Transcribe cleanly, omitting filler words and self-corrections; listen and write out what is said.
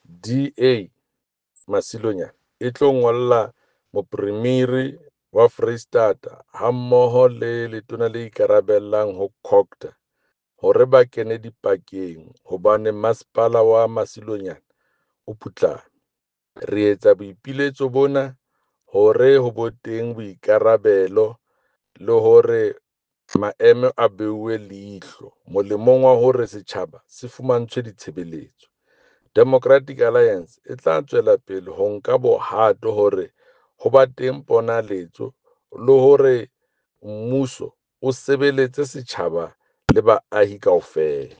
DA Masilonyane e tlo ngolla Mopremiri wa Freistata hammoho le letona le ikarabellang ho COGTA hore ba kene dipakeng hobane masepala wa Masilonyane o putlame. Re etsa boipiletso bona hore ho bo teng boikarabelo le hore maemo a beuwe leihlo molemong wa hore setjhaba se fumantshwe ditshebeletso. Democratic Alliance e tla tswela pele ho nka bohato hore ho ba teng ponaletso le hore mmuso o sebeletse setjhaba le baahi kaofela.